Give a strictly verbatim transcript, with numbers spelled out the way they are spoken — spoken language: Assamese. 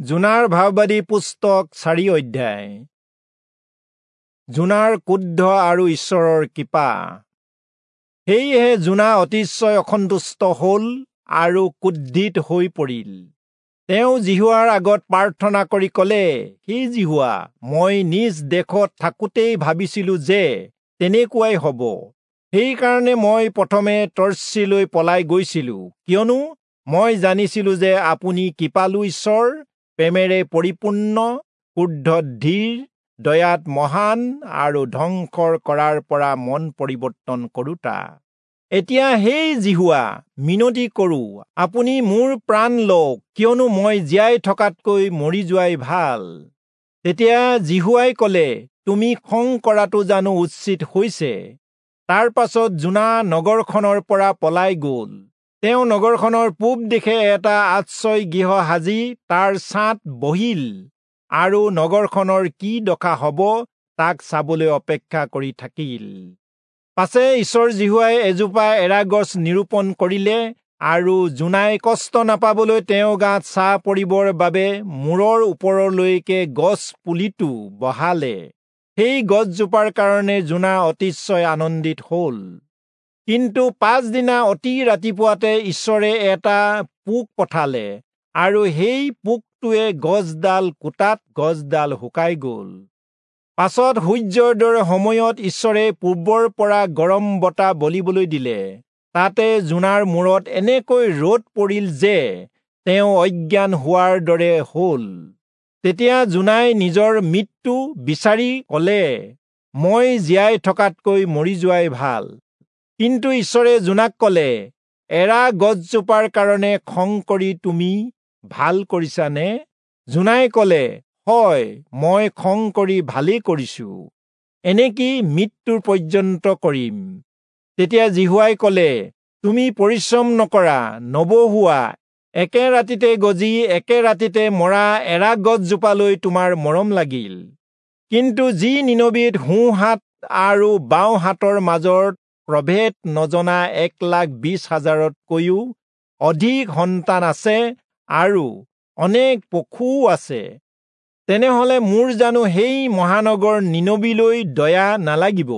যোনাৰ ভাববাদী পুস্তক চাৰি অধ্যায়। যোনাৰ ক্ৰোধ আৰু ঈশ্বৰৰ কৃপা। সেয়েহে যোনা অতিশয় অসন্তুষ্ট হ'ল আৰু ক্ৰোধিত হৈ পৰিল। তেওঁ যিহোৱাৰ আগত প্ৰাৰ্থনা কৰি ক'লে, হে যিহোৱা, মই নিজ দেশত থাকোঁতেই ভাবিছিলো যে তেনেকুৱাই হ'ব। সেইকাৰণে মই প্ৰথমে তৰ্চীলৈ পলাই গৈছিলো, কিয়নো মই জানিছিলো যে আপুনি কৃপালু ঈশ্বৰ, প্ৰেমেৰে পৰিপূৰ্ণ, ক্ৰোধত ধীৰ, দয়াত মহান আৰু ধ্বংসৰ কৰাৰ পৰা মন পৰিৱৰ্তন কৰোঁতা। এতিয়া হে যিহোৱা, মিনতি কৰোঁ, আপুনি মোৰ প্ৰাণ লওক, কিয়নো মই জীয়াই থকাতকৈ মৰি যোৱাই ভাল। তেতিয়া যিহোৱাই ক'লে, তুমি খং কৰাটো জানো উচিত হৈছে? তাৰ পাছত যোনা নগৰখনৰ পৰা পলাই গ'ল। তেওঁ নগৰখনৰ পূব দিশে এটা আশ্ৰয় গৃহ সাজি তাৰ ছাঁত বহিল আৰু নগৰখনৰ কি দশা হ'ব তাক চাবলৈ অপেক্ষা কৰি থাকিল। পাছে ঈশ্বৰ যিহোৱাই এজোপা এৰা গছ নিৰূপণ কৰিলে আৰু যোনাই কষ্ট নাপাবলৈ তেওঁ গাত ছাঁ পৰিবৰ বাবে মূৰৰ ওপৰলৈকে গছ পুলিটো বহালে। সেই গছজোপাৰ কাৰণে যোনা অতিশয় আনন্দিত হ'ল। কিন্তু পাছদিনা অতি ৰাতিপুৱাতে ঈশ্বৰে এটা পোক পঠালে আৰু সেই পোকটোৱে গছডাল কুটাত গছডাল শুকাই গ'ল। পাছত সূৰ্যোদয়ৰ সময়ত ঈশ্বৰে পূৰ্বৰ পৰা গৰম বতাহ বলিবলৈ দিলে। তাতে যোনাৰ মূৰত এনেকৈ ৰ'দ পৰিল যে তেওঁ অজ্ঞান হোৱাৰ দৰে হ'ল। তেতিয়া যোনাই নিজৰ মৃত্যু বিচাৰি ক'লে, মই জীয়াই থকাতকৈ মৰি যোৱাই ভাল। কিন্তু ঈশ্বৰে যোনাক ক'লে, এৰা গছজোপাৰ কাৰণে খং কৰি তুমি ভাল কৰিছানে? যোনাই ক'লে, হয়, মই খং কৰি ভালেই কৰিছো, এনেকি মৃত্যুৰ পৰ্যন্ত কৰিম। তেতিয়া যিহোৱাই ক'লে, তুমি পৰিশ্ৰম নকৰা, নবহুৱা, একে ৰাতিতে গজি একে ৰাতিতে মৰা এৰা গছজোপালৈ তোমাৰ মৰম লাগিল। কিন্তু যি নীনবিত সোঁ হাত আৰু বাওঁ হাতৰ মাজত প্ৰভেদ নজনা এক লাখ বিশ হাজাৰতকৈও অধিক সন্তান আছে আৰু অনেক পশুও আছে, তেনেহলে মোৰ জানো সেই মহানগৰ নীনবিলৈ দয়া নালাগিব?